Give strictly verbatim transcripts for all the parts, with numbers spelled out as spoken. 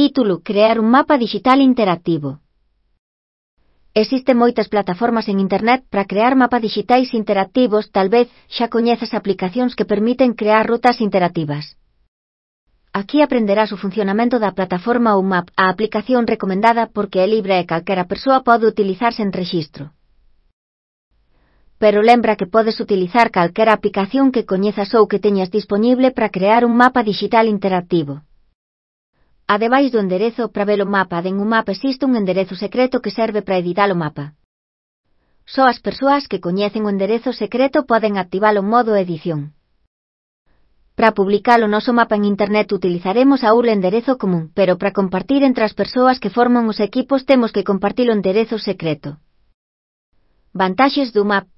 Título: Crear un mapa digital interactivo. Existen moitas plataformas en internet para crear mapas digitais interactivos. Tal vez xa coñezas aplicacións que permiten crear rutas interactivas. Aquí aprenderás o funcionamento da plataforma O Map, a aplicación recomendada porque é libre e calquera persoa pode utilizar sen rexistro. Pero lembra que podes utilizar calquera aplicación que coñezas ou que teñas dispoñible para crear un mapa digital interactivo. Ademais do enderezo para ver o mapa den O Map existe un enderezo secreto que serve para editar o mapa. Só as persoas que coñecen o enderezo secreto poden activar o modo edición. Para publicar o noso mapa en internet utilizaremos a U R L enderezo común, pero para compartir entre as persoas que forman os equipos temos que compartir o enderezo secreto. Vantaxes do Map.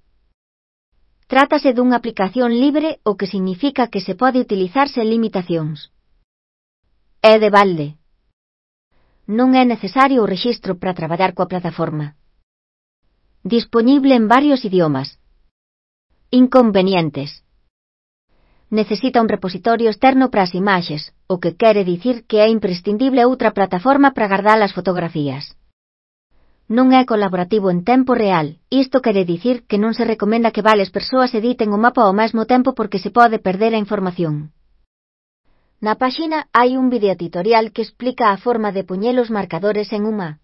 Trátase dunha aplicación libre, o que significa que se pode utilizar sen limitacións. É de balde. Non é necesario o rexistro para traballar coa plataforma. Dispoñible en varios idiomas. Inconvenientes. Necesita un repositorio externo para as imaxes, o que quere dicir que é imprescindible outra plataforma para gardar as fotografías. Non é colaborativo en tempo real, isto quere dicir que non se recomenda que varias persoas editen o mapa ao mesmo tempo porque se pode perder a información. Na páxina hai un videotutorial que explica a forma de poñer os marcadores en un mapa.